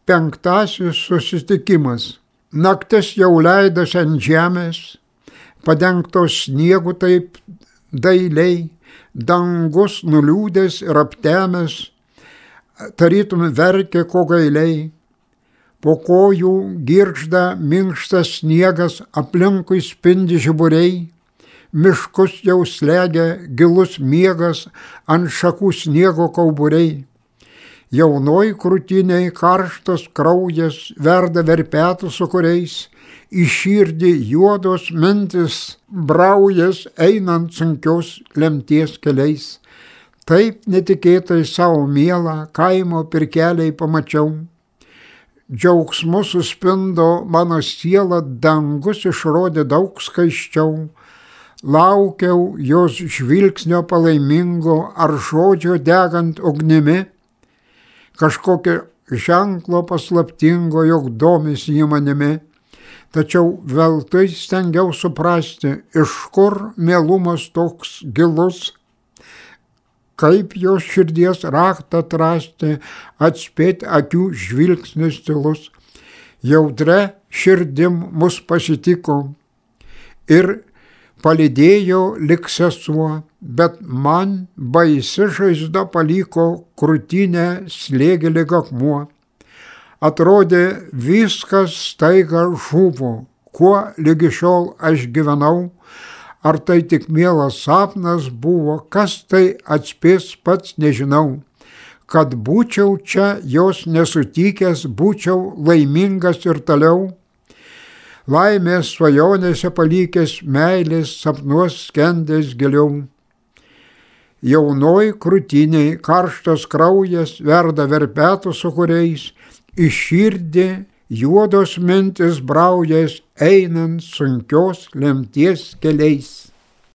Penktasis susitikimas. Naktis jau leidosi ant žemės, padengtos sniegu taip dailiai, dangus nuliūdęs ir aptemęs, tarytum verkė ko gailiai. Po kojų girgžda minkštas sniegas, aplinkui spindi žiburiai, miškus jau slegia gilus miegas, ant šakų sniego kauburiai. Jaunoj krūtiniai karštas kraujas verda verpetų sūkuriais, į širdį juodos mintis braujas einant sunkios lemties keliais. Taip netikėtai savo mielą kaimo pirkeliai pamačiau. Džiaugsmu suspindo mano siela, dangus išrodė daug skaisčiau. Laukiau jos žvilgsnio palaimingo ar žodžio degant ugnimi, kažkokio ženklo paslaptingo, jog domisi jį manimi. Tačiau veltui stengiau suprasti, iš kur mielumas toks gilus, kaip jos širdies raktą atrasti, atspėti akių žvilgsnis tylus. Jautre širdim mus pasitiko ir palydėjo lik sesuo, bet man baisi žaizda paliko krūtinę slėgė lyg akmuo. Atrodė viskas staiga žuvo, kuo lygi šiol aš gyvenau, ar tai tik mielas sapnas buvo, kas tai atspės pats nežinau. Kad būčiau čia jos nesutikęs, būčiau laimingas ir toliau, laimės svajonėse palikęs, meilės sapnuos skendęs giliau. Jaunoj krūtiniai karštas kraujas verda verpetų sūkuriais, į širdį juodos mintis braujas einant sunkios lemties keliais.